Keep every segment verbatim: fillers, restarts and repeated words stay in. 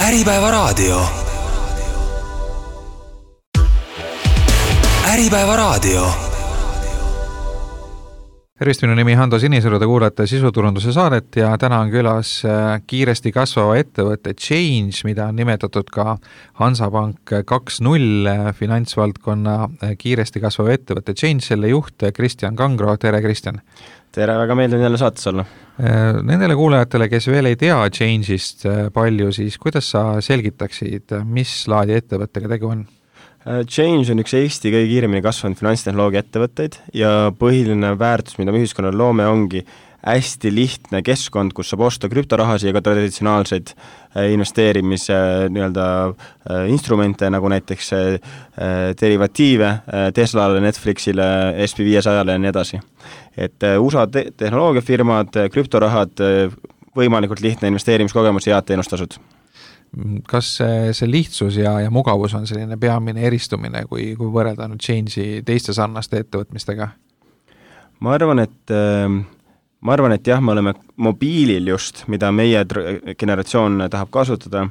Äripäeva raadio. Äripäeva raadio. Tervist, minu nimi Hando Sinisalu, te kuulete sisuturunduse saadet ja täna on külas kiiresti kasvava ettevõtte Change, mida on nimetatud ka Hansapank kaks null finantsvaldkonna kiiresti kasvava ettevõtte Change, selle juht Kristjan Kangro. Tere, Kristjan! Tere, väga meeldin jälle saates olla. Nendele kuulajatele, kes veel ei tea Change'ist palju, siis kuidas sa selgitaksid, mis laadi ettevõttega tegu on? Change on üks Eesti kõige kiiremini kasvanud finantstehnoloogia ettevõtteid ja põhiline väärtus, mida me ühiskonnal loome, ongi hästi lihtne keskkond, kus saab osta krüptorahasi ja ka traditsionaalseid investeerimise nii-öelda instrumente, nagu näiteks derivatiive Teslale, Netflixile, S P viiesajale ja nii edasi. Et U S A te- tehnoloogiafirmad, krüptorahad, võimalikult lihtne investeerimiskogemus ja head teenustasud. Kas see, see lihtsus ja, ja mugavus on selline peamine eristumine, kui, kui võrrelda nüüd Change'i teiste sarnaste ettevõtmistega? Ma arvan, et, ma arvan, et jah, me oleme mobiilil just, mida meie generatsioon tahab kasutada,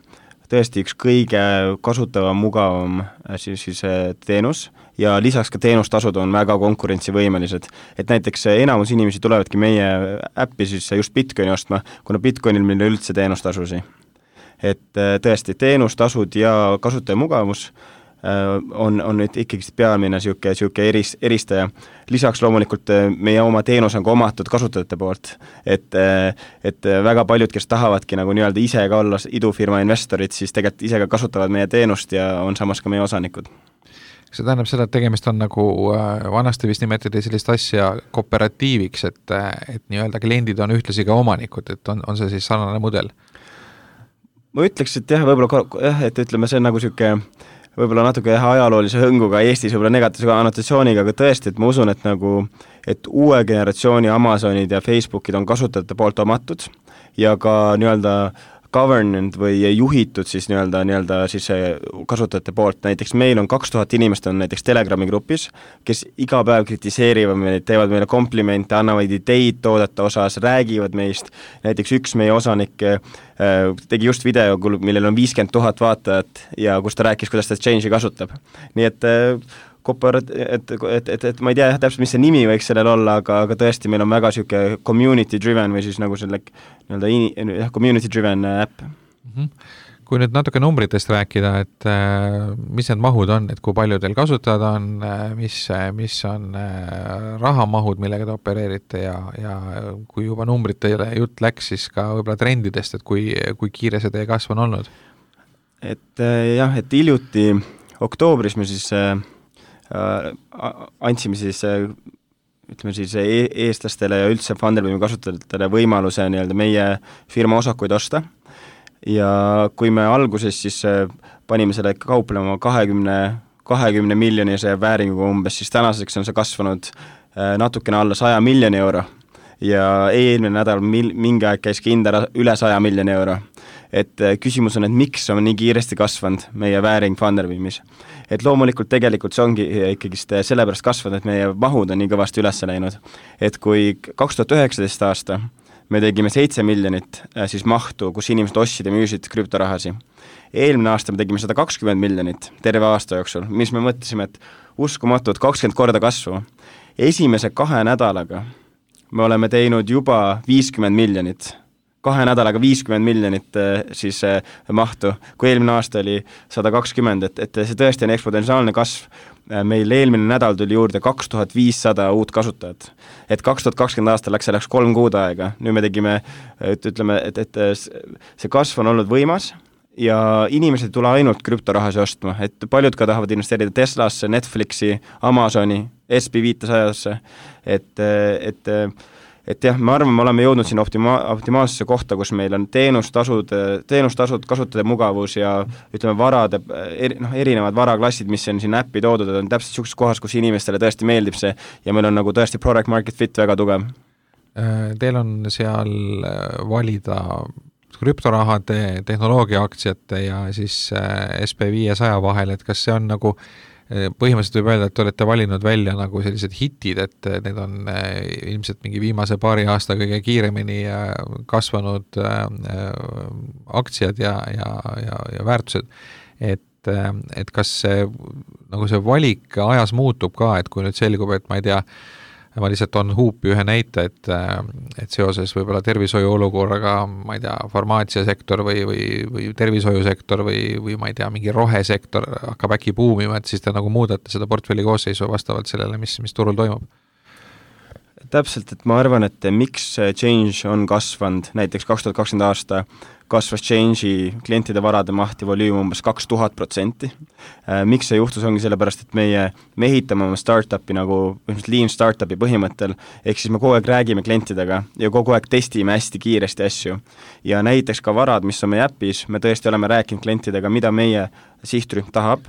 tõesti üks kõige kasutava, mugavam siis, siis teenus ja lisaks ka teenustasud on väga konkurentsivõimelised. Et näiteks enamus inimesi tulevadki meie äppi siis just Bitcoini ostma, kuna Bitcoinil meil üldse teenustasusi. Et tõesti teenustasud ja kasutaja mugavus on, on nüüd ikkagi peamine siuke, siuke eris, eristaja. Lisaks loomulikult meie oma teenus on ka omatud kasutajate poolt, et, et väga paljud, kes tahavadki nagu nii-öelda ise ka olla idufirma investorid, siis tegelikult ise ka kasutavad meie teenust ja on samas ka meie osanikud. See tähendab seda, et tegemist on nagu vanasti vist nimetati sellist asja kooperatiiviks, et, et nii-öelda kliendid on ühtlasi ka omanikud, et on, on see siis sarnane mudel? Ma ütleks, et jah, võib-olla, jah, et ütleme, see on nagu siuke, võib-olla natuke jah, ajaloolise hõnguga Eestis võib-olla negatiivse annotatsiooniga, aga tõesti, et ma usun, et nagu, et uue generatsiooni Amazonid ja Facebookid on kasutajate poolt omatud ja ka nii-öelda governed või juhitud siis nii-öelda, nii-öelda siis kasutajate poolt. Näiteks meil on kaks tuhat inimest on näiteks Telegrami grupis, kes iga päev kritiseerivad meid, teevad meile komplimente, annavad ideid toodete osas, räägivad meist. Näiteks üks meie osanik tegi just video, millel on viiskümmend tuhat vaatajat ja kus ta rääkis, kuidas ta Change'i kasutab. Nii et Kooperat, et, et, et, et ma ei tea jah, täpselt, mis see nimi võiks sellel olla, aga, aga tõesti meil on väga siuke community driven või siis nagu selle nii-öelda in, community driven äpp. Mm-hmm. Kui nüüd natuke numbritest rääkida, et äh, mis need mahud on, et kui palju teil kasutajad on, mis, mis on äh, rahamahud, millega te opereerite ja, ja kui juba numbritele jutt läks, siis ka võib-olla trendidest, et kui, kui kiire see teie kasv on olnud? Et äh, jah, et hiljuti oktoobris me siis äh, andsime siis, ütleme siis eestlastele ja üldse Funderbeami kasutajatele võimaluse nii-öelda meie firma osakuid osta ja kui me alguses siis panime selle kauplema kahekümne, kahekümne miljonise vääringuga umbes, siis tänaseks on see kasvanud natukene alla saja miljoni euro ja eelmine nädal mil, mingi aeg käis hinda üle saja miljoni euro. Et küsimus on, et miks on nii kiiresti kasvanud meie vääring Funderbeamis. Et loomulikult tegelikult see ongi ikkagi sellepärast kasvanud, et meie mahud on nii kõvasti üles läinud. Et kui kaks tuhat üheksateist aasta me tegime seitse miljonit siis mahtu, kus inimesed ostsid ja müüsid krüptorahasi. Eelmine aasta me tegime sada kakskümmend miljonit terve aasta jooksul, mis me mõtlesime, et uskumatud kakskümmend korda kasvu. Esimese kahe nädalaga me oleme teinud juba viiskümmend miljonit. Kahe nädalaga viiskümmend miljonit siis mahtu, kui eelmine aasta oli sada kakskümmend, et, et see tõesti on eksponentsiaalne kasv. Meil eelmine nädal tuli juurde kaks tuhat viissada uut kasutajat. Et kaks tuhat kakskümmend aasta läks selleks kolm kuud aega. Nüüd me tegime, et ütleme, et, et see kasv on olnud võimas ja inimesed tule ainult krüptorahasi ostma. Et paljud ka tahavad investeerida Teslasse, Netflixi, Amazoni, S P viiesajasse, et, et et jah, me arvame, me oleme jõudnud siin optima- optimaalsesse kohta, kus meil on teenustasud, teenustasud, kasutada mugavus ja ütleme varade, eri, no, erinevad varaklassid, mis on siin äppi toodud, on täpselt sellises kohas, kus inimestele tõesti meeldib see ja meil on nagu tõesti product market fit väga tugev. Teil on seal valida krüptorahade, tehnoloogia aktsiate ja siis S P viiesaja vahel, et kas see on nagu põhimõtteliselt võib öelda, et te olete valinud välja nagu sellised hitid, et need on ilmselt mingi viimase paari aasta kõige kiiremini kasvanud aktsiad ja, ja, ja, ja väärtused, et, et kas see, nagu see valik ajas muutub ka, et kui nüüd selgub, et ma ei tea, ma lihtsalt on huupi ühe näite, et, et seoses võib-olla tervishoiu olukorraga, ma ei tea, farmaatsiasektor või, või, või tervishoiusektor või, või ma ei tea, mingi rohesektor hakkab äkki buumima, et siis te nagu muudate seda portfelli koosseisu vastavalt sellele, mis, mis turul toimub. Täpselt, et ma arvan, et miks Change on kasvanud, näiteks kaks tuhat kakskümmend aasta kasvas Change'i klientide varade maht ja volüüm umbes kaks tuhat protsenti. Miks see juhtus, ongi sellepärast, et meie me ehitame oma startupi nagu lean startupi põhimõttel, ehk siis me kogu aeg räägime klientidega ja kogu aeg testime hästi kiiresti asju. Ja näiteks ka varad, mis on meie äpis, me tõesti oleme rääkinud klientidega, mida meie sihtrühm tahab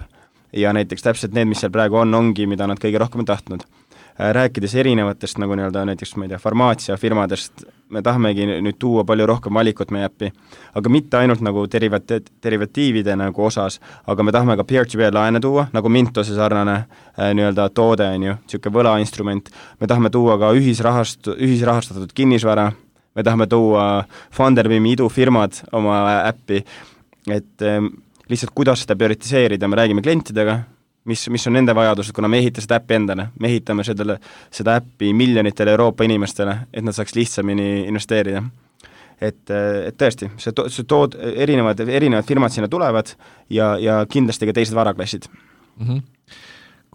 ja näiteks täpselt need, mis seal praegu on, ongi, mida nad kõige rohkem on tahtnud. Rääkides erinevatest nagu nii-öelda näiteks, ma ei tea, farmaatsiafirmadest, me tahamegi nüüd tuua palju rohkem valikut meie äppi, aga mitte ainult nagu derivati- derivatiivide nagu osas, aga me tahame ka peer-to-peer laene tuua, nagu Mintose sarnane äh, nii-öelda toode on ju, niisugune võlainstrument, me tahame tuua ka ühisrahast, ühisrahastatud kinnisvara, me tahame tuua Funderbeami idufirmad oma äppi, et äh, lihtsalt kuidas seda prioritiseerida, me räägime klientidega, mis, mis on nende vajadused, kuna me ehita seda äppi endale, me ehitame seda, seda äppi miljonitele Euroopa inimestele, et nad saaks lihtsamini investeerida. Et, et tõesti, see, to, see tood, erinevad, erinevad firmad sinna tulevad ja, ja kindlasti ka teised varaklassid. Mm-hmm.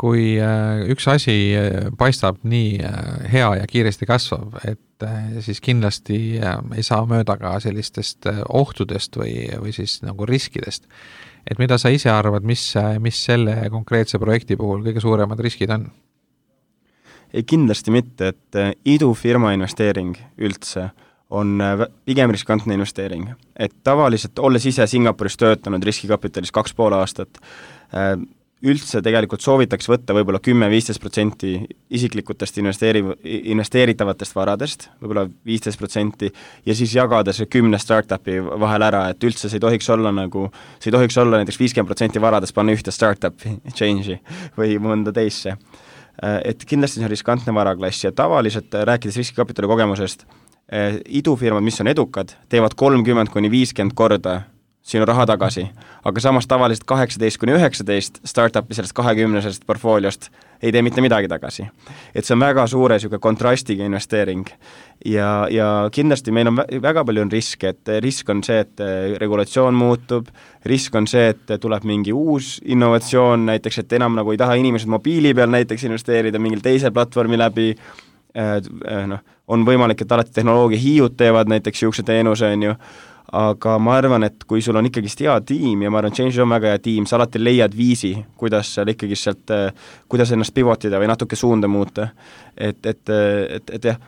Kui äh, üks asi paistab nii äh, hea ja kiiresti kasvab, et äh, siis kindlasti äh, ei saa mööda ka sellistest äh, ohtudest või, või siis nagu riskidest. Et mida sa ise arvad, mis, mis selle konkreetse projekti puhul kõige suuremad riskid on? Ei, kindlasti mitte, et idufirma investeering üldse on pigem riskantne investeering. Et tavaliselt, olles ise Singapuris töötanud riskikapitalis kaks pool aastat, üldse tegelikult soovitaks võtta võib-olla kümme kuni viisteist protsenti isiklikutest investeeri- investeeritavatest varadest, võib-olla viisteist protsenti, ja siis jagada see kümne startupi vahel ära, et üldse see ei tohiks olla nagu, see ei tohiks olla näiteks viiskümmend protsenti varadest panna ühte startupi, change'i või mõnda teisse. Et kindlasti see on riskantne varaklass ja tavaliselt, rääkides riskikapitali kogemusest, idufirmad, mis on edukad, teevad kolmkümmend kuni viiskümmend korda sinu raha tagasi, aga samas tavaliselt kaheksateist kuni üheksateist startupi sellest kahekümnesest portfooliost ei tee mitte midagi tagasi. Et see on väga suure siuke kontrastiga investeering ja, ja kindlasti meil on väga palju on riske, et risk on see, et regulatsioon muutub, risk on see, et tuleb mingi uus innovatsioon, näiteks, et enam nagu ei taha inimesed mobiili peal näiteks investeerida mingil teise platvormi läbi, noh, on võimalik, et alati tehnoloogia hiiud teevad näiteks siukse teenuse, on ju, aga ma arvan, et kui sul on ikkagist hea tiim ja ma arvan, Change on väga hea tiim, sa alati leiad viisi, kuidas seal ikkagist sealt, kuidas ennast pivotida või natuke suunda muuta. Et, et, et, et jah,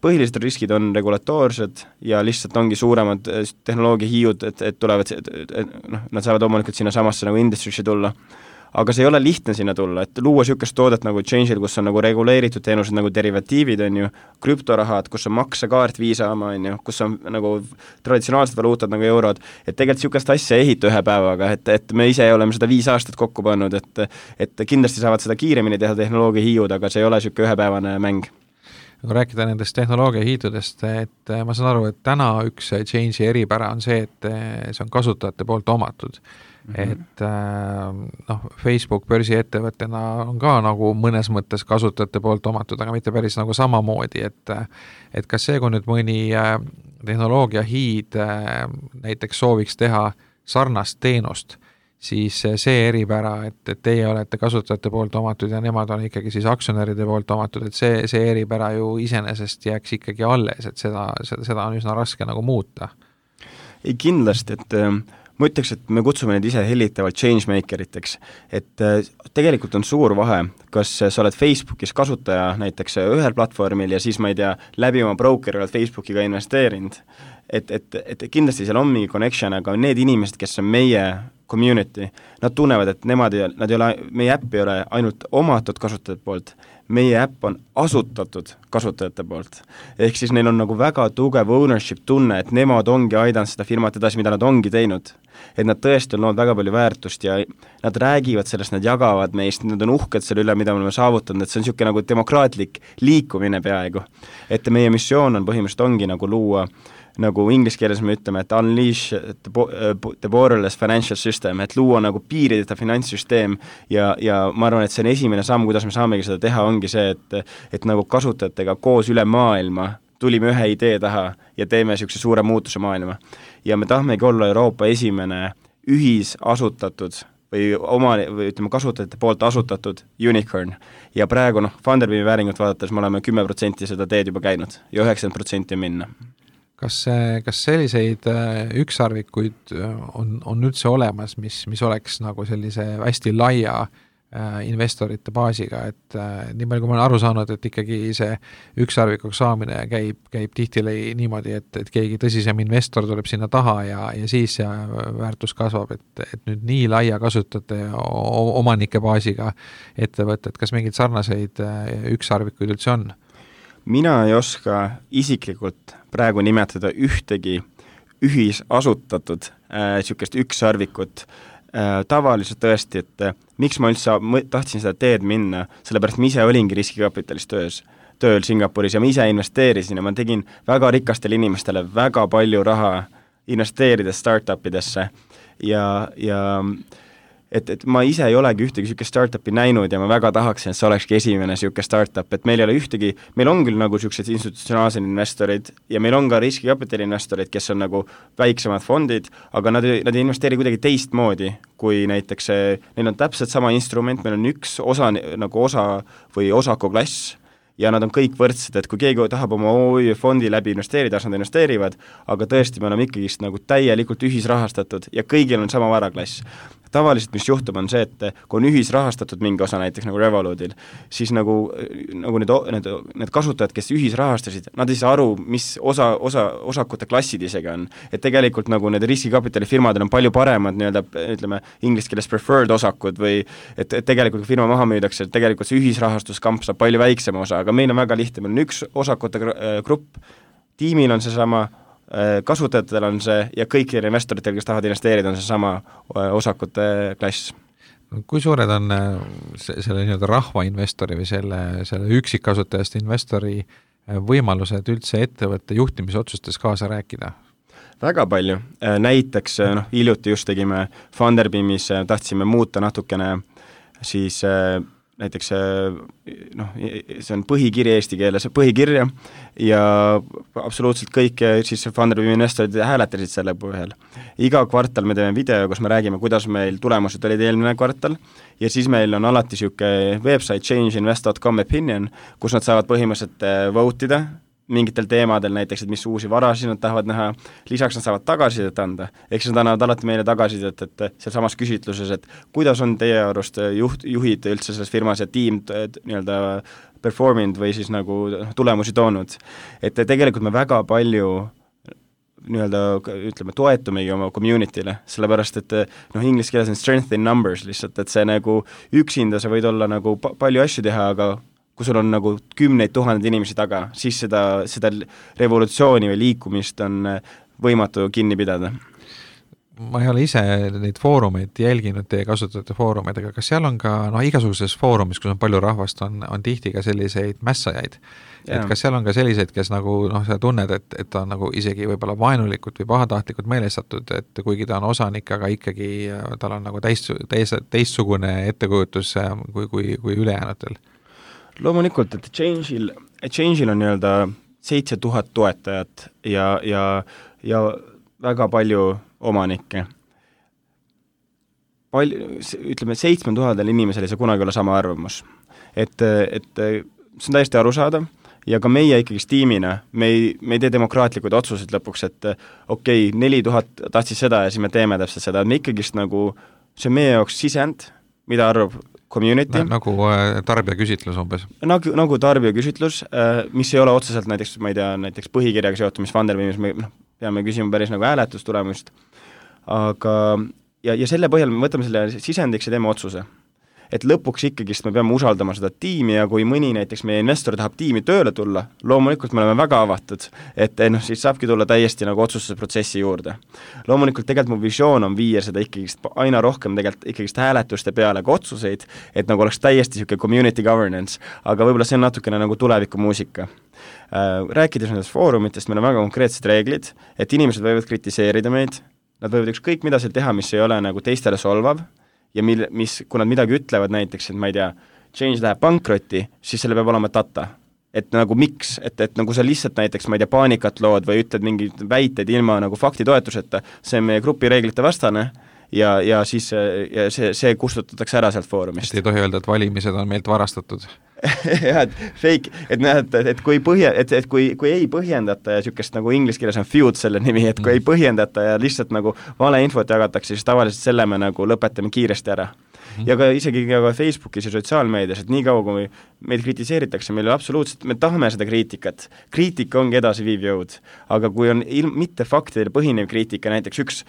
põhilised riskid on regulatoorsed ja lihtsalt ongi suuremad tehnoloogia hiiud, et, et tulevad, et, et, noh, nad saavad omalikult sinna samasse nagu industry'sse tulla. Aga see ei ole lihtne sinna tulla, et luua niisugust toodet nagu Change'il, kus on nagu reguleeritud teenused nagu derivatiivid, on ju, krüptorahad, kus on maksekaart viisaama, on ju, kus on nagu traditsionaalsed valuutad nagu eurod, et tegelikult niisugust asja ehita ühe päevaga, et, et me ise oleme seda viis aastat kokku pannud, et, et kindlasti saavad seda kiiremini teha tehnoloogia hiiud, aga see ei ole niisugune ühepäevane mäng. Kui rääkida nendest tehnoloogia hiidudest, et ma saan aru, et täna üks Change'i eripära on see, et see on kasutajate poolt omatud. Mm-hmm. Et noh, Facebook börsiettevõttena on ka nagu mõnes mõttes kasutajate poolt omatud, aga mitte päris nagu samamoodi, et, et kas see, kui nüüd mõni tehnoloogia hiid näiteks sooviks teha sarnast teenust, siis see eripära, et, et teie olete kasutajate poolt omatud ja nemad on ikkagi siis aktsionäride poolt omatud, et see, see eripära ju iseenesest jääks ikkagi alles, et seda, seda, seda on üsna raske nagu muuta. Ei kindlasti, et ma ütleks, et me kutsume neid ise hellitavalt changemakeriteks, et tegelikult on suur vahe, kas sa oled Facebookis kasutaja näiteks ühel platvormil ja siis ma ei tea, läbi oma broker oled Facebookiga investeerinud, et, et, et kindlasti seal on mingi connection, aga need inimesed, kes on meie community, nad tunnevad, et nemad, nad ei ole, meie äpp ei ole ainult omatud kasutajate poolt, meie äpp on asutatud kasutajate poolt. Ehk siis neil on nagu väga tugev ownership tunne, et nemad ongi aidanud seda firmat edasi, mida nad ongi teinud. Et nad tõesti on loonud väga palju väärtust ja nad räägivad sellest, nad jagavad meist, nad on uhked selle üle, mida me oleme saavutanud, et see on niisugune nagu demokraatlik liikumine peaaegu. Et meie missioon on põhimõtteliselt ongi nagu luua, nagu inglise keeles me ütleme, et unleash the, the borderless financial system, et luua nagu piirideta finantssüsteem ja, ja ma arvan, et see on esimene samm, kuidas me saamegi seda teha, ongi see, et, et nagu kasutajatega koos üle maailma tulime ühe idee taha ja teeme niisuguse suure muutuse maailma. Ja me tahmegi olla Euroopa esimene ühisasutatud või oma, või ütleme kasutajate poolt asutatud unicorn. Ja praegu noh, Funderbeami vääringut vaadates me oleme kümme protsenti seda teed juba käinud ja üheksakümmend protsenti minna. Kas, kas selliseid ükssarvikuid on, on üldse olemas, mis, mis oleks nagu sellise hästi laia äh, investorite baasiga, et äh, nii palju, kui ma olen aru saanud, et ikkagi see ükssarvikuks saamine käib, käib tihtilu niimoodi, et, et keegi tõsisem investor tuleb sinna taha ja, ja siis see väärtus kasvab, et, et nüüd nii laia kasutajate omanike baasiga ettevõtted, kas mingeid sarnaseid ükssarvikuid üldse on? Mina ei oska isiklikult praegu nimetada ühtegi ühisasutatud äh, niisugust ükssarvikut. Äh, tavaliselt tõesti, et äh, miks ma üldse tahtsin seda teed minna, sellepärast ma ise olingi riskikapitalis töös, tööl Singapuris ja ma ise investeerisin ja ma tegin väga rikastele inimestele väga palju raha investeerides startupidesse ja, ja et, et ma ise ei olegi ühtegi niisugust startupi näinud ja ma väga tahaksin, et see olekski esimene niisugune startup, et meil ei ole ühtegi, meil on küll nagu niisugused institutsionaalsed investorid ja meil on ka riskikapitali investorid, kes on nagu väiksemad fondid, aga nad, nad ei investeeri kuidagi teistmoodi, kui näiteks see, neil on täpselt sama instrument, meil on üks osa, nagu osa või osakuklass, ja nad on kõik võrdsed, et kui keegi tahab oma O Ü fondi läbi investeerida, siis nad investeerivad, aga tõesti me oleme ikkagi nagu täielikult ühisrahastatud ja kõigil on sama varaklass. Tavaliselt, mis juhtub, on see, et kui on ühisrahastatud mingi osa näiteks nagu Revolutil, siis nagu, nagu need, need, need kasutajad, kes ühisrahastasid, nad ei saa aru, mis osa, osa, osakute klassid isegi on. Et tegelikult nagu need riskikapitali firmadel on palju paremad nii-öelda, ütleme, inglise keeles preferred osakud või et, et tegelikult firma maha müüdakse, et tegelikult see ühisrahastuskamp saab palju väiksema osa, aga meil on väga lihtne, meil on üks osakute grupp, tiimil on see sama, kasutajatel on see ja kõikidel investoritel, kes tahavad investeerida, on see sama osakute klass. Kui suured on selle nii-öelda rahvainvestori või selle, selle üksikkasutajast investori võimalused üldse ettevõtte juhtimisotsustes kaasa rääkida? Väga palju. Näiteks noh, hiljuti just tegime Funderbeamis, tahtsime muuta natukene siis näiteks noh, see on põhikiri eesti keeles, põhikirja ja absoluutselt kõik siis Funderbeami investorid hääletasid selle põhjal. Iga kvartal me teeme video, kus me räägime, kuidas meil tulemused olid eelmine kvartal ja siis meil on alati niisugune website change invest dot com opinion, kus nad saavad põhimõtteliselt vote'ida mingitel teemadel, näiteks, et mis uusi varasid nad tahavad näha, lisaks nad saavad tagasisidet anda, ehk siis nad annavad alati meile tagasisidet, et seal samas küsitluses, et kuidas on teie arust juht, juhid üldse selles firmas ja tiim nii-öelda performinud või siis nagu tulemusi toonud. Et tegelikult me väga palju nii-öelda, ütleme, toetumegi oma community'le, sellepärast, et noh, inglise keeles on strength in numbers lihtsalt, et see nagu üksinda sa võid olla nagu pa- palju asju teha, aga kui sul on nagu kümneid tuhandeid inimesi taga, siis seda, seda revolutsiooni või liikumist on võimatu kinni pidada. Ma ei ole ise neid foorumeid jälginud, teie kasutajate foorumeid, aga kas seal on ka no, igasuguses foorumis, kus on palju rahvast, on, on tihti ka selliseid mässajaid. Et kas seal on ka selliseid, kes nagu noh, sa tunned, et, et ta on nagu isegi võib-olla vaenulikult või pahatahtlikult meelestatud, et kuigi ta on osanik, aga ikkagi tal on nagu teist, teist, teistsugune ettekujutus kui, kui, kui ülejäänutel? Loomulikult, et Change'il, Change'il on nii-öelda seitse tuhat toetajat ja, ja, ja väga palju omanikke. Palju, ütleme, seitsme tuhandel inimesel ei saa kunagi olla sama arvamus. Et, et see on täiesti arusaadav ja ka meie ikkagi tiimina, me ei, me ei tee demokraatlikud otsused lõpuks, et okei, okay, neli tuhat tahtsid seda ja siis me teeme täpselt seda, me ikkagist nagu, see on meie jaoks sisend, mida arvab community. Nagu tarbijaküsitlus umbes? Nagu, nagu tarbijaküsitlus, mis ei ole otseselt näiteks, ma ei tea, näiteks põhikirjaga seotud, mis Funderbeamis me noh, peame küsima päris nagu hääletustulemust, aga ja, ja selle põhjal me võtame selle sisendiks ja teeme otsuse. et lõpuks ikkagist me peame usaldama seda tiimi ja kui mõni näiteks meie investor tahab tiimi tööle tulla, loomulikult me oleme väga avatud, et noh, siis saabki tulla täiesti nagu otsustusprotsessi juurde. Loomulikult tegelikult mu visioon on viia seda ikkagist aina rohkem tegelikult ikkagist hääletuste peale ka otsuseid, et nagu oleks täiesti siuke community governance, aga võib-olla see on natukene nagu tulevikumuusika. Rääkides nendest foorumitest, meil on väga konkreetsed reeglid, et inimesed võivad kritiseerida meid, nad võivad ükskõik mida seal teha, mis ei ole nagu teistele solvav ja mil, mis, kui nad midagi ütlevad näiteks, et ma ei tea, Change läheb pankrotti, siis selle peab olema data. Et nagu miks, et, et nagu sa lihtsalt näiteks, ma ei tea, paanikat lood või ütled mingid väited ilma nagu faktitoetuseta, see on meie grupi reeglite vastane ja, ja siis ja see, see kustutatakse ära sealt foorumist. Et ei tohi öelda, et valimised on meilt varastatud. jah, et fake, et näed, et, et kui põhja, et, et kui, kui ei põhjendata ja niisugust nagu inglise keeles on feud selle nimi, et kui ei põhjendata ja lihtsalt nagu valeinfot jagatakse, siis tavaliselt selle me nagu lõpetame kiiresti ära. Ja ka isegi ka Facebookis ja sotsiaalmeedias, et nii kaua, kui meid kritiseeritakse, meil absoluutselt, me tahame seda kriitikat. Kriitika ongi edasi viiv jõud. Aga kui on ilm, mitte faktidele põhinev kriitika, näiteks üks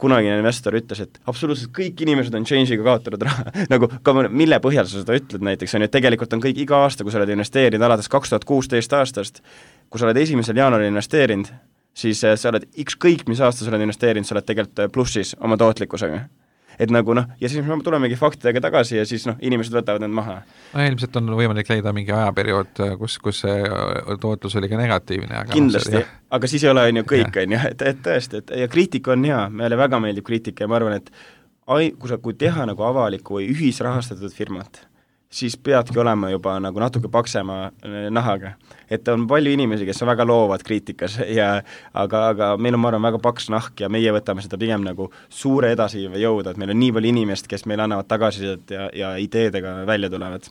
kunagine investor ütles, et absoluutselt kõik inimesed on Change'iga kaotanud raha. nagu, mille põhjal sa seda ütled näiteks, on ju, tegelikult on kõik iga aasta, kui sa oled investeerinud alates kaks tuhat kuusteist aastast, kui sa oled esimesel jaanuaril investeerinud, siis sa oled ükskõik, mis aasta sa oled investeerinud, sa oled tegelikult plussis oma tootlikkusega. Et nagu noh, ja siis me tulemegi faktidega tagasi ja siis noh, inimesed võtavad need maha. No ilmselt on võimalik leida mingi ajaperiood, kus, kus see tootlus oli ka negatiivne. Aga kindlasti, no, aga siis ei ole on ju kõik, on ju, et, et tõesti, et ja kriitika on hea, meile väga meeldib kriitika ja ma arvan, et ai, kui sa, kui teha nagu avaliku või ühisrahastatud firmat, siis peadki olema juba nagu natuke paksema nahaga. Et on palju inimesi, kes on väga loovad kriitikas, ja, aga, aga meil on, ma arvan, väga paks nahk ja meie võtame seda pigem nagu suure edasi jõuda, et meil on nii palju inimest, kes meil annavad tagasisidet ja, ja ideedega välja tulevad.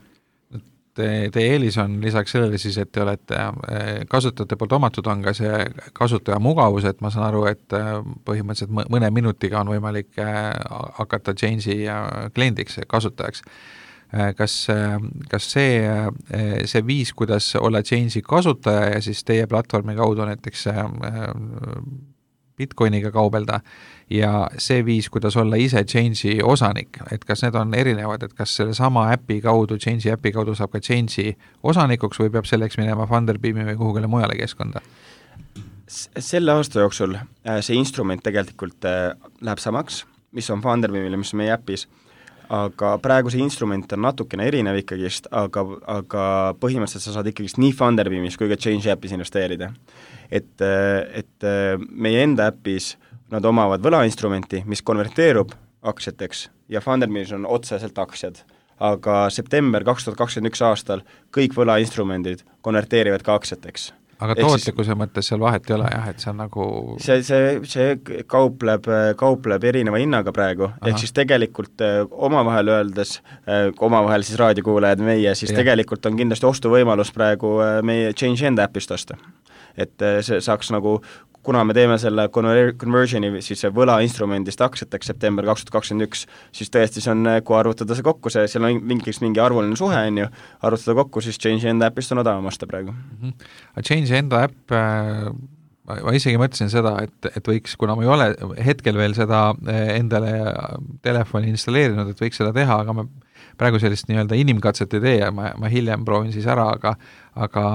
Teie te eelis on lisaks sellele siis, et te olete kasutajate poolt omatud, on ka see kasutaja mugavus, et ma saan aru, et põhimõtteliselt mõne minutiga on võimalik hakata Change'i kliendiks, kasutajaks. Kas, kas see, see viis, kuidas olla Change'i kasutaja ja siis teie platvormi kaudu näiteks Bitcoiniga kaubelda ja see viis, kuidas olla ise Change'i osanik, et kas need on erinevad, et kas selle sama äpi kaudu, Change'i äpi kaudu saab ka Change'i osanikuks või peab selleks minema Funderbeami või kuhugile mujale keskkonda? Selle aasta jooksul see instrument tegelikult läheb samaks, mis on Funderbeamile, mis on meie äpis, aga praegu see instrument on natukene erinev ikkagist, aga, aga põhimõtteliselt sa saad ikkagist nii Funderbeamis kui ka Change äpis investeerida. Et, et meie enda äpis nad omavad võlainstrumenti, mis konverteerub aktsiateks ja Funderbeamis on otseselt aktsiad, aga september kaks tuhat kakskümmend üks aastal kõik võlainstrumendid konverteerivad ka aktsiateks. Aga tootlikkuse mõttes seal vahet ei ole, jah, et see on nagu... See, see, see kaupleb, kaupleb erineva hinnaga praegu, Aha. ehk siis tegelikult omavahel öeldes, omavahel siis raadiokuulajad meie, siis ja. Tegelikult on kindlasti ostuvõimalus praegu meie Change enda äpist osta. Et see saaks nagu, kuna me teeme selle conversioni, siis see võlainstrumendist aktsiateks september kaks tuhat kakskümmend üks, siis tõesti see on, kui arvutada see kokku, see, seal on mingiks mingi arvuline suhe, on ju, arvutada kokku, siis Change enda äpist on odavam osta praegu. Mm-hmm. Change enda äpp, ma isegi mõtlesin seda, et, et võiks, kuna ma ei ole hetkel veel seda endale telefoni installeerinud, et võiks seda teha, aga ma praegu sellist nii-öelda inimkatset ei tee ja ma, ma hiljem proovin siis ära, aga, aga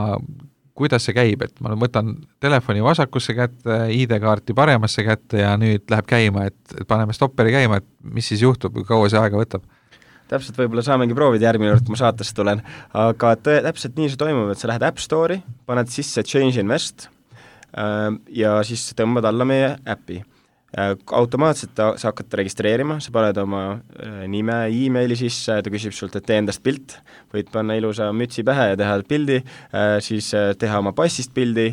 kuidas see käib, et ma võtan telefoni vasakusse kätte, I D-kaarti paremasse kätte ja nüüd läheb käima, et, et paneme stopperi käima, et mis siis juhtub, kui kaua see aega võtab? Täpselt võib-olla saamegi proovida järgmine kord, kui ma saatesse tulen, aga tõ, täpselt nii see toimub, et sa lähed App Store'i, paned sisse Change Invest äh, ja siis tõmbad alla meie äpi. Automaatselt sa hakkad registreerima, sa paned oma nime, e-maili sisse, ta küsib sult, et tee endast pilt, võid panna ilusa mütsi pähe ja teha pildi, siis teha oma passist pildi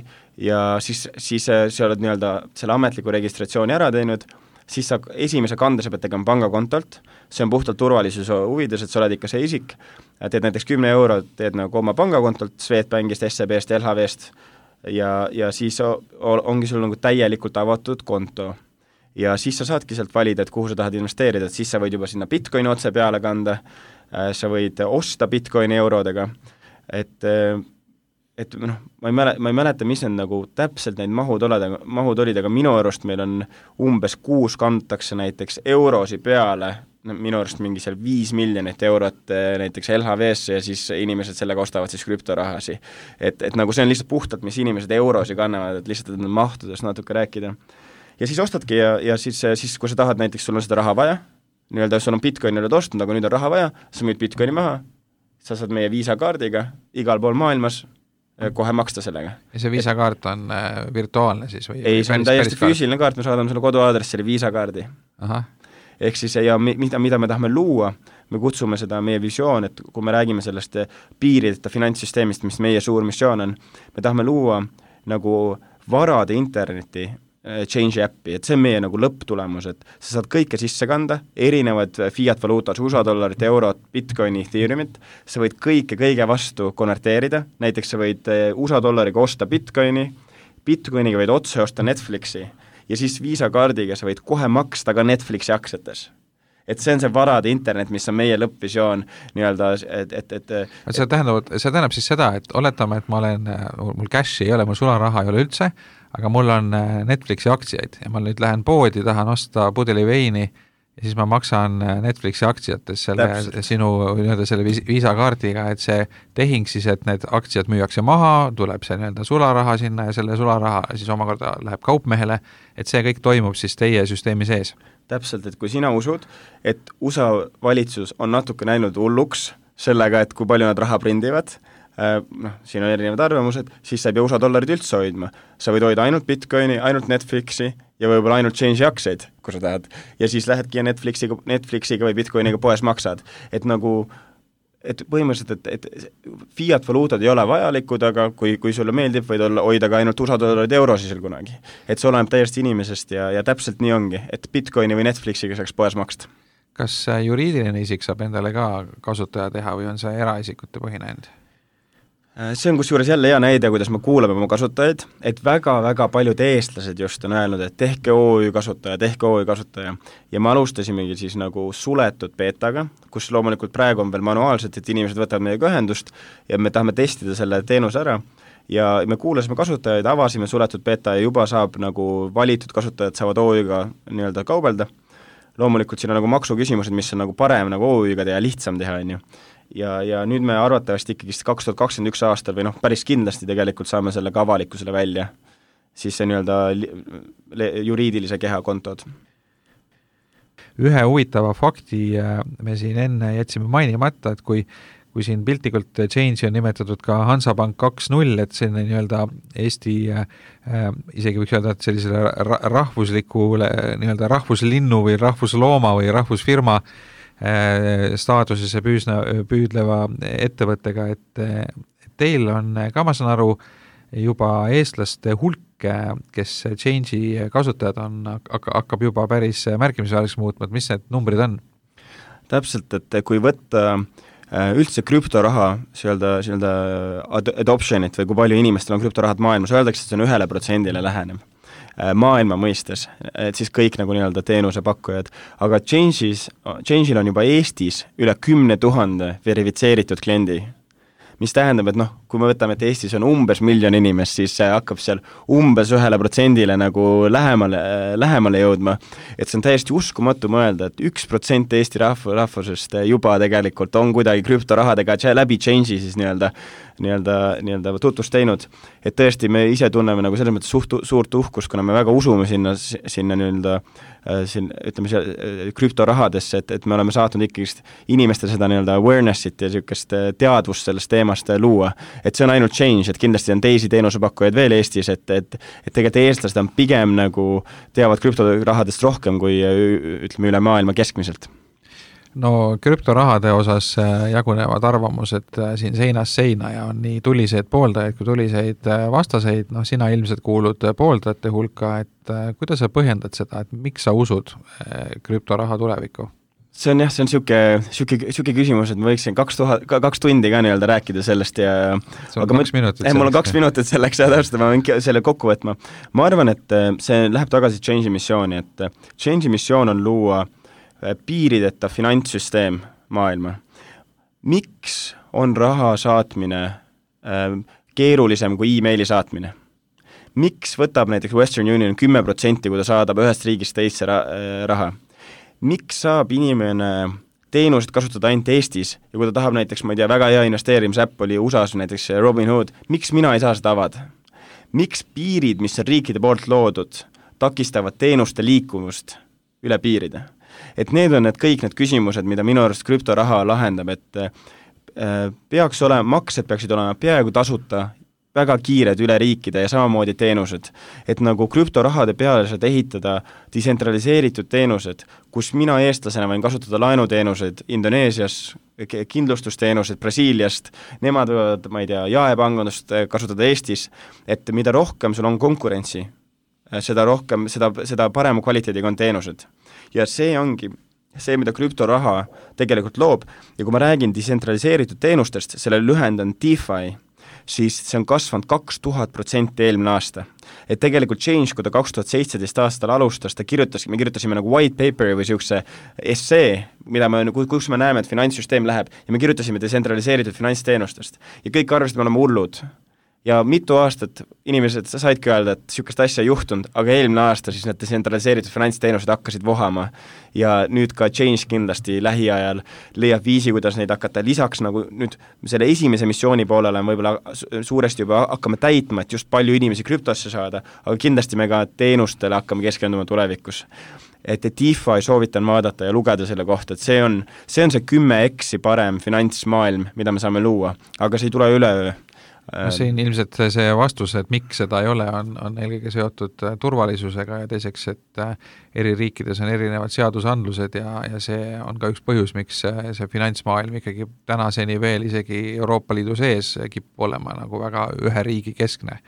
ja siis, siis sa oled nii-öelda selle ametliku registratsiooni ära teinud, siis sa esimese kande sa pead tegema pangakontolt, see on puhtalt turvalisuse huvides, et sa oled ikka see isik, teed näiteks kümme euro, teed nagu oma pangakontolt, Swedbankist, S E B-st, L H V-st ja, ja siis ongi sul nagu täielikult avatud konto. Ja siis sa saadki sealt valida, et kuhu sa tahad investeerida, et siis sa võid juba sinna Bitcoini otse peale kanda, sa võid osta Bitcoini eurodega, et, et noh, ma ei mäleta, ma ei mäleta, mis need nagu täpselt neid mahud oled, mahud olid, aga minu arust meil on umbes kuus kantakse näiteks eurosi peale minu arust mingi seal viis miljonit eurot näiteks L H V-sse ja siis inimesed sellega ostavad siis krüptorahasi. Et, et nagu see on lihtsalt puhtalt, mis inimesed eurosi kannavad, et lihtsalt et mahtudest natuke rääkida. Ja siis ostadki ja, ja siis, siis kui sa tahad näiteks, sul on seda raha vaja, nii-öelda sul on Bitcoini oled ostnud, aga nüüd on raha vaja, sa müüd Bitcoini maha, sa saad meie viisakaardiga igal pool maailmas kohe maksta sellega. Ja see viisakaart on äh, virtuaalne siis? Või ei, see on täiesti füüsiline kaart, me saadame sulle koduaadressile viisakaardi. Aha. Ehk siis, ja mida, mida me tahame luua, me kutsume seda meie visioon, et kui me räägime sellest piirideta finantssüsteemist, mis meie suur missioon on, me tahame luua nagu varade interneti change appi, et see on meie nagu lõpptulemus, et sa saad kõike sisse kanda, erinevad fiat valuutad, U S A dollarit, eurot, Bitcoini, Ethereumit, sa võid kõike kõige vastu konverteerida, näiteks sa võid U S A dollariga osta Bitcoini, Bitcoiniga võid otse osta Netflixi ja siis viisakaardiga sa võid kohe maksta ka Netflixi aktsiates. Et see on see varade internet, mis on meie lõppvisioon nii-öelda, et, et, et see tähendab, see tähendab siis seda, et oletame, et ma olen, mul cashi ei ole, mul sularaha ei ole üldse, aga mul on Netflixi aktsiaid ja ma nüüd lähen poodi, tahan osta pudeli veini ja siis ma maksan Netflixi aktsiates selle Täpselt. sinu nii-öelda selle viisakaardiga, et see tehing siis, et need aktsiad müüakse maha, tuleb see nii-öelda sularaha sinna ja selle sularaha siis omakorda läheb kaupmehele, et see kõik toimub siis teie süsteemi sees. Täpselt, et kui sina usud, et U S A valitsus on natuke näinud hulluks sellega, et kui palju nad raha prindivad, noh, siin on erinevad arvamused, siis sa ei pea U S A dollarid üldse hoidma. Sa võid hoida ainult Bitcoini, ainult Netflixi ja võib-olla ainult change'i aktsiaid, kui sa tahad. Ja siis lähedki ja Netflixiga, Netflixiga või Bitcoiniga poes maksad. Et nagu, et põhimõtteliselt, et, et fiat valuutad ei ole vajalikud, aga kui, kui sulle meeldib, võid olla, hoida ka ainult U S A dollarid eurosisel kunagi. Et see oleneb täiesti inimesest ja, ja täpselt nii ongi, et Bitcoini või Netflixiga saaks poes maksta. Kas juriidiline isik saab endale ka kasutaja teha või on see eraisikute põhine end? See on kusjuures jälle hea näide, kuidas me kuulame oma kasutajaid, et väga-väga paljud eestlased just on öelnud, et tehke O Ü kasutaja, tehke O Ü kasutaja. Ja me alustasimegi siis nagu suletud beetaga, kus loomulikult praegu on veel manuaalselt, et inimesed võtavad meiega ühendust ja me tahame testida selle teenuse ära. Ja me kuulasime kasutajaid, avasime suletud beeta ja juba saab nagu valitud kasutajad saavad O Ü-ga nii-öelda kaubelda. Loomulikult siin on nagu maksuküsimused, mis on nagu parem nagu O Ü-ga teha, lihtsam teha, on ju. Ja, ja nüüd me arvatavasti ikkagi kaks tuhat kakskümmend üks aastal või noh, päris kindlasti tegelikult saame selle ka avalikkusele välja, siis see nii-öelda juriidilise keha kontod. Ühe huvitava fakti me siin enne jätsime mainimata, et kui, kui siin piltlikult change on nimetatud ka Hansapank kaks null, et selline nii-öelda Eesti äh, isegi võiks öelda, et sellisele rahvuslikule nii-öelda rahvuslinnu või rahvuslooma või rahvusfirma staatusesse püüsna, püüdleva ettevõttega, et, et teil on ka, ma saan aru, juba eestlaste hulk, kes change'i kasutajad on, hakkab juba päris märkimisväärselt muutma, et mis need numbrid on? Täpselt, et kui võtta üldse krüptoraha nii-öelda adoptionit või kui palju inimestel on krüptorahad maailmas, öeldakse, et see on ühele protsendile läheneb maailma mõistes, et siis kõik nagu nii-öelda teenusepakkujad, aga Change'is, Change'il on juba Eestis üle kümne tuhande verifitseeritud kliendi, mis tähendab, et noh, kui me võtame, et Eestis on umbes miljon inimest, siis see hakkab seal umbes ühele protsendile nagu lähemale, lähemale jõudma, et see on täiesti uskumatu mõelda, et üks protsent Eesti rahva, rahvusest juba tegelikult on kuidagi krüptorahadega läbi Change'i siis nii-öelda nii-öelda, nii-öelda tutvust teinud, et tõesti me ise tunneme nagu selles mõttes suht, suurt uhkust, kuna me väga usume sinna, sinna nii-öelda siin, ütleme, see krüptorahadesse, et, et me oleme saatnud ikkagi inimestel seda nii-öelda awareness'it ja niisugust teadvust sellest teemast luua, et see on ainult Change, et kindlasti on teisi teenusepakkujaid veel Eestis, et, et, et tegelikult eestlased on pigem nagu teavad krüptorahadest rohkem kui ütleme üle maailma keskmiselt. No krüptorahade osas jagunevad arvamused siin seinast seina ja on nii tuliseid pooldajaid kui tuliseid vastaseid, noh sina ilmselt kuulud pooldajate hulka, et kuidas sa põhjendad seda, et miks sa usud krüptoraha tulevikku? See on jah, see on siuke, siuke, siuke küsimus, et ma võiksin kaks, tuhat, kaks tundi ka nii-öelda rääkida sellest ja see on aga kaks ma, minutit eh, mul on kaks minutit selleks ja täpselt, ma võin selle kokku võtma. Ma arvan, et see läheb tagasi Change'i missiooni, et Change'i missioon on luua piirideta finantssüsteem maailma. Miks on raha saatmine äh, keerulisem kui e-maili saatmine? Miks võtab näiteks Western Union kümme protsenti, kui ta saadab ühest riigist teisse ra- raha? miks saab inimene teenused kasutada ainult Eestis ja kui ta tahab näiteks, ma ei tea, väga hea investeerimisäpp oli U S A-s näiteks Robinhood, miks mina ei saa seda avada? Miks piirid, mis on riikide poolt loodud, takistavad teenuste liikumust üle piiride? Et need on need kõik need küsimused, mida minu arust krüptoraha lahendab, et äh, peaks olema, maksed peaksid olema peaaegu tasuta, väga kiired üle riikide ja samamoodi teenused. Et nagu krüptorahade peale saad ehitada desentraliseeritud teenused, kus mina eestlasena võin kasutada laenuteenused Indoneesias, kindlustusteenused Brasiiliast, nemad võivad, ma ei tea, jaepangandust kasutada Eestis, et mida rohkem sul on konkurentsi, seda rohkem, seda, seda parema kvaliteediga on teenused. Ja see ongi see, mida krüptoraha tegelikult loob ja kui ma räägin desentraliseeritud teenustest, selle lühend on DeFi, siis see on kasvanud kaks tuhat protsenti eelmine aasta. Et tegelikult Change, kui ta kaks tuhat seitseteist aastal alustas, ta kirjutas, me kirjutasime nagu white paperi või siukse essee, mida me, kus me näeme, et finantssüsteem läheb ja me kirjutasime desentraliseeritud finantsteenustest. Ja kõik arvasid, me oleme hullud. Ja mitu aastat inimesed saidki öelda, et siukest asja ei juhtunud, aga eelmine aasta siis need desentraliseeritud finantsteenused hakkasid vohama ja nüüd ka Change kindlasti lähiajal leiab viisi, kuidas neid hakata lisaks nagu nüüd selle esimese missiooni poolele on võib-olla suuresti juba hakkame täitma, et just palju inimesi krüptosse saada, aga kindlasti me ka teenustele hakkame keskenduma tulevikus. Et DeFi soovitan vaadata ja lugeda selle kohta, et see on see, on see kümme eksi parem finantsmaailm, mida me saame luua, aga see ei tule üleöö. No siin ilmselt see vastus, et miks seda ei ole, on, on eelkõige seotud turvalisusega ja teiseks, et eri riikides on erinevad seadusandlused ja, ja see on ka üks põhjus, miks see, see finantsmaailm ikkagi tänaseni veel isegi Euroopa Liidu sees kipub olema nagu väga ühe riigi keskne.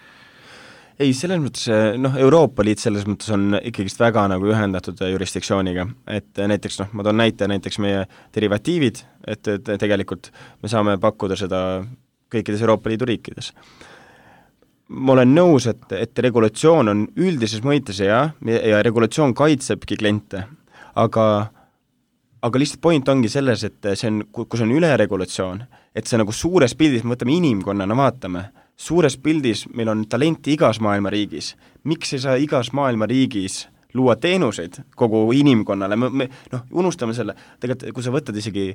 Ei, selles mõttes, noh, Euroopa Liit selles mõttes on ikkagist väga nagu ühendatud jurisdiktsiooniga, et näiteks, noh, ma toon näite näiteks meie derivatiivid, et, et tegelikult me saame pakkuda seda kõikides Euroopa Liidu riikides. Ma olen nõus, et, et regulatsioon on üldises mõites ja, ja regulatsioon kaitsebki kliente, aga, aga lihtsalt point ongi selles, et see on, kus on üleregulatsioon, et see nagu suures pildis, me võtame inimkonnana, vaatame, suures pildis meil on talenti igas maailma riigis. Miks ei saa igas maailma riigis luua teenuseid kogu inimkonnale? Me, me, noh, unustame selle, tegelikult kui sa võtad isegi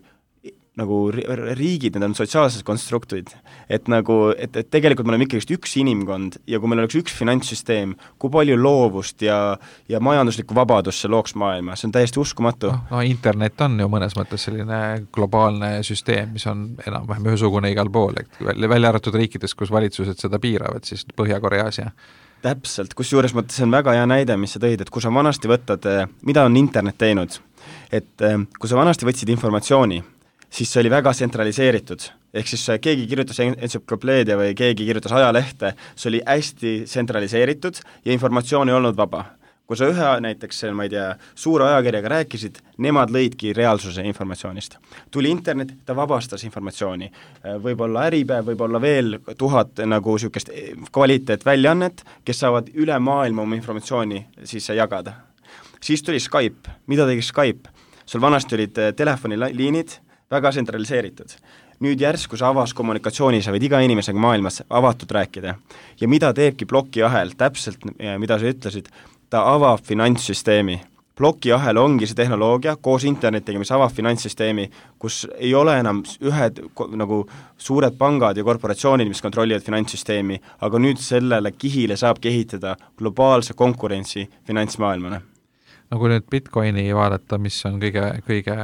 nagu riigid, need on sotsiaalsed konstruktid, et nagu, et, et tegelikult me oleme ikkagi üks inimkond ja kui meil oleks üks finantssüsteem, kui palju loovust ja, ja majanduslikku vabadust see looks maailma, see on täiesti uskumatu. No, no internet on ju mõnes mõttes selline globaalne süsteem, mis on enam-vähem ühesugune igal pool, et välja arvatud riikides, kus valitsused seda piiravad, siis Põhja-Koreas ja täpselt, kus juures mõttes see on väga hea näide, mis sa tõid, et kui sa vanasti võtad, mida on internet teinud, et kui sa vanasti võtsid informatsiooni, siis see oli väga tsentraliseeritud, ehk siis keegi kirjutas entsüklopeedia või keegi kirjutas ajalehte, see oli hästi tsentraliseeritud ja informatsioon ei olnud vaba. Kui sa ühe näiteks, ma ei tea, suure ajakirjaga rääkisid, nemad lõidki reaalsuse informatsioonist. Tuli internet, ta vabastas informatsiooni. Võib-olla Äripäev, võib-olla veel tuhat nagu niisugust kvaliteet väljaannet, kes saavad üle maailma oma informatsiooni siis jagada. Siis tuli Skype. Mida tegi Skype? Sul vanasti olid telefoniliinid, väga tsentraliseeritud. Nüüd järsku sa avas kommunikatsiooni, sa võid iga inimesega maailmas avatud rääkida. Ja mida teebki plokiahel, täpselt mida sa ütlesid, ta avab finantssüsteemi. Plokiahel ongi see tehnoloogia koos internetiga, mis avab finantssüsteemi, kus ei ole enam ühed nagu suured pangad ja korporatsioonid, mis kontrollivad finantssüsteemi, aga nüüd sellele kihile saabki ehitada globaalse konkurentsi finantsmaailmane. No kui nüüd Bitcoini vaadata, mis on kõige, kõige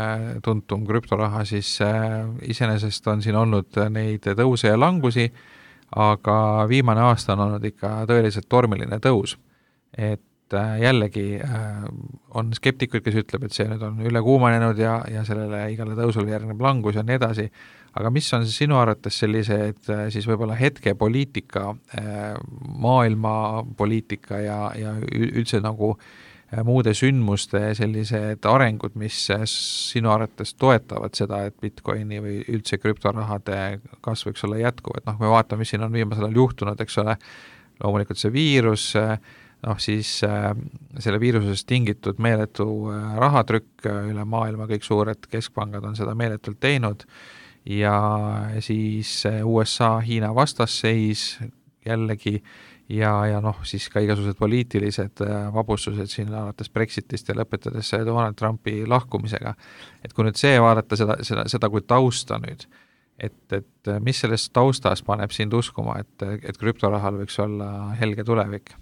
tuntum krüptoraha, siis äh, iseenesest on siin olnud neid tõuse ja langusi, aga viimane aasta on olnud ikka tõeliselt tormiline tõus. Et äh, jällegi äh, on skeptikuid, kes ütleb, et see nüüd on üle kuumanenud ja, ja sellele igale tõusule järgneb langus ja nii edasi. Aga mis on sinu arvates sellised äh, siis võib-olla hetkepoliitika, äh, maailma poliitika ja, ja üldse nagu muude sündmuste sellised arengud, mis sinu arvates toetavad seda, et Bitcoini või üldse krüptorahade kasv võiks olla jätkuv, et noh, me vaatame, mis siin on viimasel ajal juhtunud, eks ole, loomulikult see viirus, noh siis selle viirusest tingitud meeletu rahatrükk üle maailma, kõik suured keskpangad on seda meeletult teinud ja siis U S A Hiina vastasseis jällegi ja, ja noh, siis ka igasugused poliitilised vabustused siin alates Brexitist ja lõpetades Donald Trumpi lahkumisega. Et kui nüüd see vaadata seda, seda, seda kui tausta nüüd, et, et mis sellest taustas paneb sind uskuma, et, et krüptorahal võiks olla helge tulevik?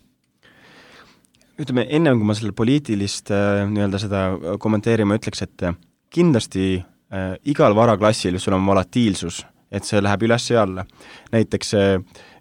Ütleme, enne kui ma selle poliitilist nii-öelda seda kommenteerima ütleks, et kindlasti äh, igal varaklassil sul on volatiilsus, et see läheb üles ja alla. Näiteks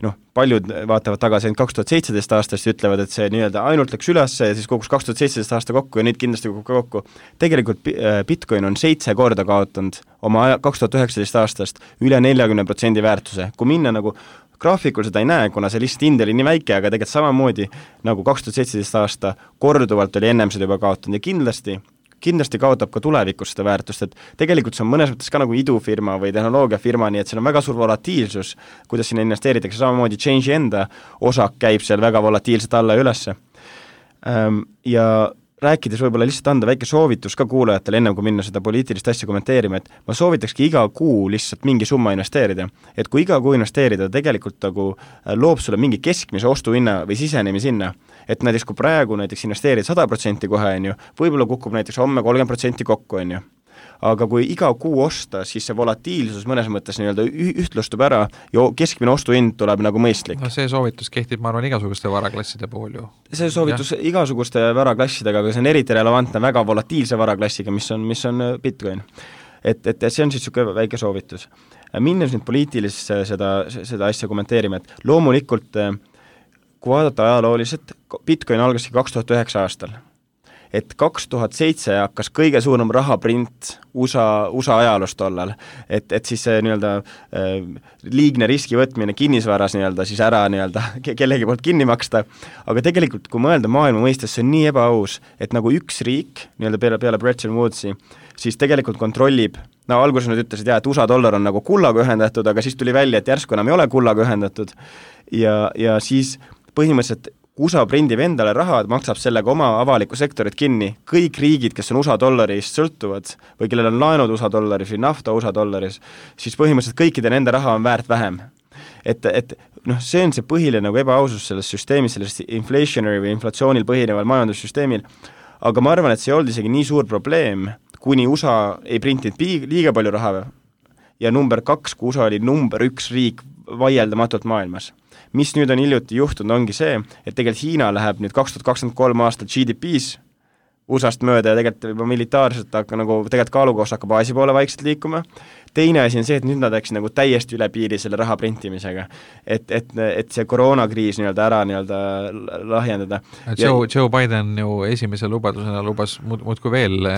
noh, paljud vaatavad tagasi ainult kaks tuhat seitseteist aastast ja ütlevad, et see nii-öelda ainult läks üles ja siis kogus kaks tuhat seitseteist aasta kokku ja nüüd kindlasti kukub kokku. Tegelikult Bitcoin on seitse korda kaotanud oma kaks tuhat üheksateist aastast üle neljakümne protsendi väärtuse. Kui minna nagu graafikul seda ei näe, kuna see lihtsalt hind oli nii väike, aga tegelikult samamoodi nagu kaks tuhat seitseteist aasta korduvalt oli ennem seda juba kaotanud ja kindlasti kindlasti kaotab ka tulevikus seda väärtust, et tegelikult see on mõnes mõttes ka nagu idufirma või tehnoloogiafirma, nii et seal on väga suur volatiilsus, kuidas sinna investeeritakse, samamoodi Change'i enda osak käib seal väga volatiilselt alla ja ülesse. Ja rääkides võib-olla lihtsalt anda väike soovitus ka kuulajatele, ennem kui minna seda poliitilist asja kommenteerima, et ma soovitakski iga kuu lihtsalt mingi summa investeerida. Et kui iga kuu investeerida, tegelikult nagu loob sulle mingi keskmise ostuhinna või sisenemi sinna. Et näiteks kui praegu näiteks investeerid sada protsenti kohe, on ju, võib-olla kukub näiteks homme kolmkümmend protsenti kokku, on ju. Aga kui iga kuu osta, siis see volatiilsus mõnes mõttes nii-öelda ühtlustub ära ja keskmine ostuhind tuleb nagu mõistlik. No see soovitus kehtib, ma arvan, igasuguste varaklasside puhul ju. See soovitus ja. igasuguste varaklassidega, aga see on eriti relevantne väga volatiilse varaklassiga, mis on, mis on Bitcoin. Et, et see on siis niisugune väike soovitus. Minnes nüüd poliitilisse seda, seda asja kommenteerima, et loomulikult kui vaadata ajalooliselt, Bitcoin algaski kaks tuhat üheksa aastal. Et kaks tuhat seitse hakkas kõige suurem rahaprint U S A, U S A ajaloos tollal, et, et siis see nii-öelda äh, liigne riski võtmine kinnisvaras nii-öelda siis ära nii-öelda kellegi poolt kinni maksta, aga tegelikult kui mõelda maailma mõistes, see on nii ebaaus, et nagu üks riik nii-öelda peale, peale Bretton Woodsi, siis tegelikult kontrollib, no alguses nad ütlesid, jah, et U S A dollar on nagu kullaga ühendatud, aga siis tuli välja, et järsku enam ei ole kullaga ühendatud ja, ja siis põhimõtteliselt U S A prindib endale raha, maksab sellega oma avaliku sektorit kinni. Kõik riigid, kes on U S A dollarist sõltuvad või kellel on laenud U S A dollaris või nafta U S A dollaris, siis põhimõtteliselt kõikide nende raha on väärt vähem. Et, et noh, see on see põhiline nagu ebaausus selles süsteemis, selles inflationary või inflatsioonil põhineval majandussüsteemil, aga ma arvan, et see ei olnud isegi nii suur probleem, kuni U S A ei printinud liiga palju raha ja number kaks, kui U S A oli number üks riik vaieldamatult maailmas. Mis nüüd on hiljuti juhtunud, ongi see, et tegelikult Hiina läheb nüüd kaks tuhat kakskümmend kolm aastal G D P-s U S A-st mööda ja tegelikult juba militaarselt hakka nagu tegelikult kaalukoos hakkab Aasia poole vaikselt liikuma. Teine asi on see, et nüüd nad läksid nagu täiesti üle piiri selle raha printimisega. Et, et, et see koroonakriis nii-öelda ära nii-öelda lahjendada. Joe, Joe Biden ju esimese lubadusena lubas muud, muud kui veel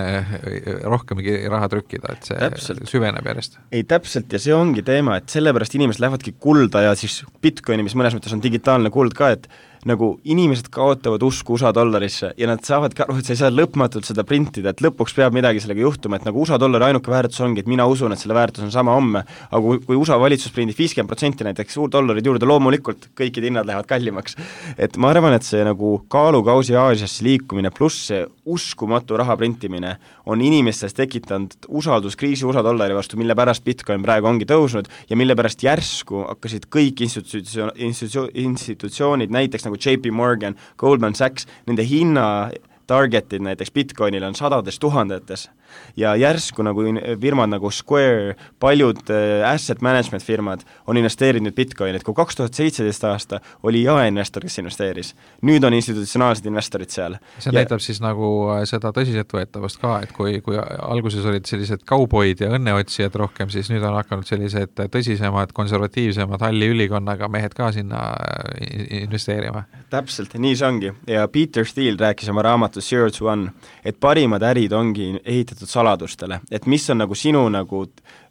rohkemgi raha trükkida, et see täpselt süveneb järjest. Ei, täpselt, ja see ongi teema, et sellepärast inimesed lähevadki kulda ja siis Bitcoini, mis mõnes mõttes on digitaalne kuld ka, et nagu inimesed kaotavad usku U S A dollarisse ja nad saavad ka aru, et sa ei saa lõpmatult seda printida, et lõpuks peab midagi sellega juhtuma, et nagu U S A dollari ainuke väärtus ongi, et mina usun, et selle väärtus on sama homme, aga kui, kui U S A valitsus prindib viiskümmend protsenti näiteks suur dollarid juurde, loomulikult kõikid hinnad lähevad kallimaks. Et ma arvan, et see nagu kaalukausi Aasiasse liikumine pluss see uskumatu raha printimine on inimestes tekitanud usalduskriisi U S A dollari vastu, mille pärast Bitcoin praegu ongi tõusnud ja mille pärast järsku hakkasid kõik institutsio- institutsio- institutsioonid, näiteks nagu J P Morgan, Goldman Sachs, nende hinna targetid näiteks Bitcoinil on sadades tuhandetes ja järsku nagu firmad nagu Square, paljud asset management firmad on investeerinud Bitcoin, et kui kaks tuhat seitseteist aasta oli jaeinvestor, kes investeeris, nüüd on institutsionaalsed investorid seal. See ja näitab siis nagu seda tõsiseltvõetavust ka, et kui, kui alguses olid sellised kauboid ja õnneotsijad rohkem, siis nüüd on hakanud sellised tõsisemad, konservatiivsemad halli ülikonnaga mehed ka sinna investeerima. Täpselt, nii see ongi. Ja Peter Thiel rääkis oma raamatus Zero to One, et parimad ärid ongi ehitatud saladustele, et mis on nagu sinu nagu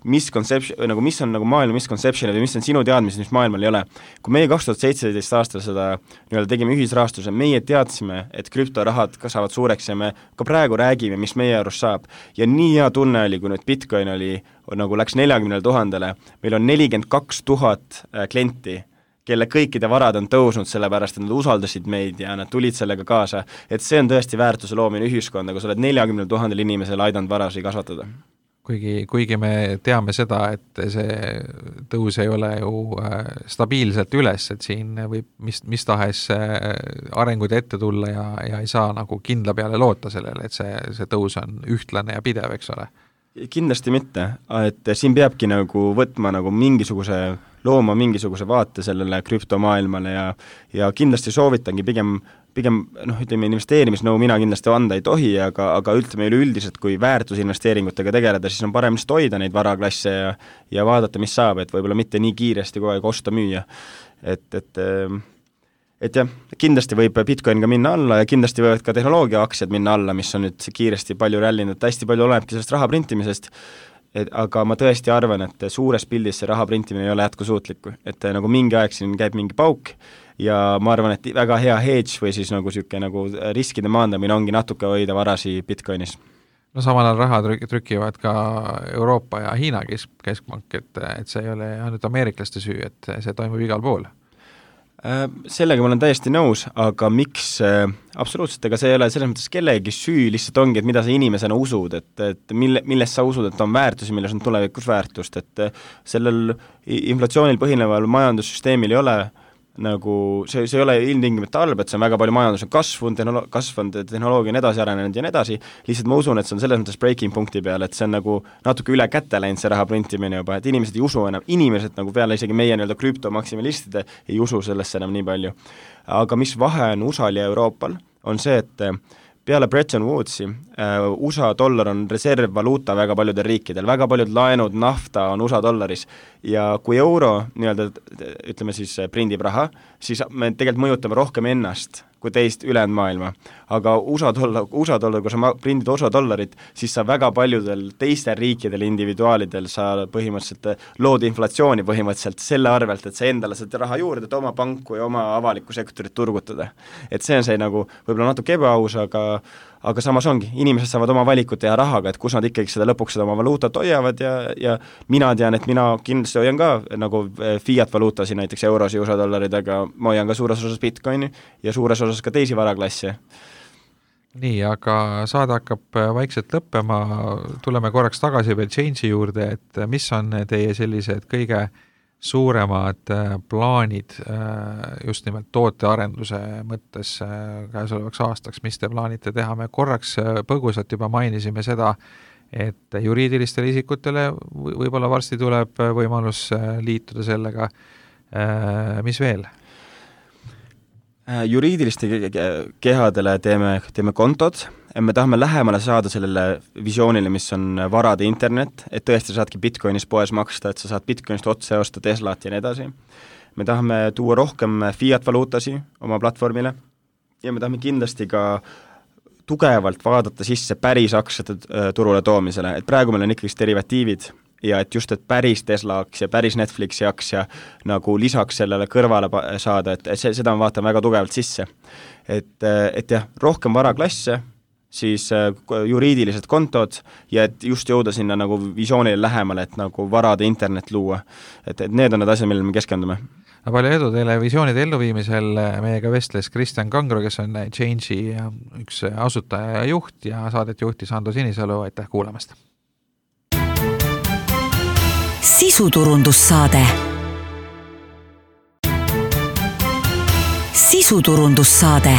misconception, nagu mis on nagu maailma misconception või mis on sinu teadmised, mis maailmal ei ole. Kui meie kaks tuhat seitseteist aastal seda nii-öelda tegime ühisrahastuse, meie teadsime, et krüptorahad kasvavad suureks ja me ka praegu räägime, mis meie arust saab. Ja nii hea tunne oli, kui nüüd Bitcoin oli, nagu läks neljakümnele tuhandele, meil on nelikümmend kaks tuhat klienti, kelle kõikide varad on tõusnud sellepärast, et nad usaldasid meid ja nad tulid sellega kaasa, et see on tõesti väärtuse loomine ühiskonda, kui sa oled neljakümne tuhandel inimesel aidanud varasi kasvatada. kuigi, kuigi me teame seda, et see tõus ei ole ju stabiilselt üles, et siin võib mis, mis tahes arengud ette tulla ja, ja ei saa nagu kindla peale loota sellele, et see, see tõus on ühtlane ja pidev, eks ole. Kindlasti mitte, et siin peabki nagu võtma nagu mingisuguse, looma mingisuguse vaate sellele krüptomaailmale ja, ja kindlasti soovitangi pigem pigem noh, ütleme investeerimisnõu mina kindlasti anda ei tohi, aga, aga ütleme üleüldiselt, kui väärtusinvesteeringutega tegeleda, siis on parem lihtsalt hoida neid varaklasse ja, ja vaadata, mis saab, et võib-olla mitte nii kiiresti kogu aeg osta müüa. Et, et, et jah, kindlasti võib Bitcoin ka minna alla ja kindlasti võivad ka tehnoloogia aktsiad minna alla, mis on nüüd kiiresti palju rällinud, hästi palju olemegi sellest raha printimisest, et, aga ma tõesti arvan, et suures pildis see raha printimine ei ole jätkusuutlik, et nagu mingi aeg siin käib mingi pauk, ja ma arvan, et väga hea hedge või siis nagu siuke nagu riskide maandamine ongi natuke hoida varasi Bitcoinis. No samal ajal raha trükivad ka Euroopa ja Hiina keskpank, et, et see ei ole ainult ameeriklaste süü, et see toimub igal pool. Sellega ma olen täiesti nõus, aga miks absoluutselt, ega see ei ole selles mõttes kellegi süü, lihtsalt ongi, et mida sa inimesena usud, et, et mille, milles sa usud, et on väärtusi, milles on tulevikus väärtust, et sellel inflatsioonil põhineval majandussüsteemil ei ole nagu see, see ei ole ilmtingimata halb, et see on väga palju majandus on kasvunud, tehnolo- kasvanud, tehnoloogia on edasi arenenud ja nii edasi, lihtsalt ma usun, et see on selles mõttes breaking punkti peal, et see on nagu natuke üle kätte läinud see raha printimine juba, et inimesed ei usu enam, inimesed nagu peale isegi meie nii-öelda krüptomaksimalistide ei usu sellesse enam nii palju. Aga mis vahe on U S A-l ja Euroopal, on see, et peale Bretton Woodsi uh, U S A dollar on reservvaluuta väga paljudel riikidel, väga paljud laenud, nafta on U S A dollaris ja kui euro nii-öelda ütleme siis prindib raha, siis me tegelikult mõjutame rohkem ennast kui teist ülejäänud maailma. Aga U S A dollar, U S A dollar, kui sa prindid U S A dollarit, siis sa väga paljudel teistel riikidel, individuaalidel sa põhimõtteliselt lood inflatsiooni põhimõtteliselt selle arvelt, et sa endale saad raha juurde, et oma panku ja oma avalikku sektorit turgutada. Et see on see nagu võib-olla natuke ebaaus, aga aga samas ongi, inimesed saavad oma valikut teha rahaga, et kus nad ikkagi seda lõpuks seda oma valuutat hoiavad ja, ja mina tean, et mina kindlasti hoian ka nagu fiat valuutasi, näiteks eurosi, U S A dollarid, aga ma hoian ka suures osas Bitcoini ja suures osas ka teisi varaklasse. Nii, aga saade hakkab vaikselt lõppema, tuleme korraks tagasi veel Change'i juurde, et mis on teie sellised kõige suuremad plaanid just nimelt tootearenduse mõttes käesolevaks aastaks, mis te plaanite teha? Me korraks põgusalt juba mainisime seda, et juriidilistele isikutele võib-olla varsti tuleb võimalus liituda sellega. Mis veel? Juriidiliste kehadele teeme, teeme kontod. Me tahame lähemale saada sellele visioonile, mis on varade internet, et tõesti saadki Bitcoinis poes maksta, et sa saad Bitcoinist otse osta Teslat ja nii edasi. Me tahame tuua rohkem fiat valuutasi oma platvormile ja me tahame kindlasti ka tugevalt vaadata sisse päris aktsiate turule toomisele, et praegu meil on ikkagi derivatiivid ja et just, et päris Tesla aktsia, päris Netflixi aktsia nagu lisaks sellele kõrvale saada, et see, seda on vaatame väga tugevalt sisse. Et, et jah, rohkem varaklasse, siis juriidilised kontod ja et just jõuda sinna nagu visioonile lähemale, et nagu varade internet luua. Et, et need on need asjad, millele me keskendume. Palju edu teile visioonide elluviimisel, meiega vestles Kristjan Kangro, kes on Change'i üks asutaja ja juht ja saadet juhtis Ando Sinisalu, aitäh kuulamast! Sisuturundussaade. Sisuturundussaade.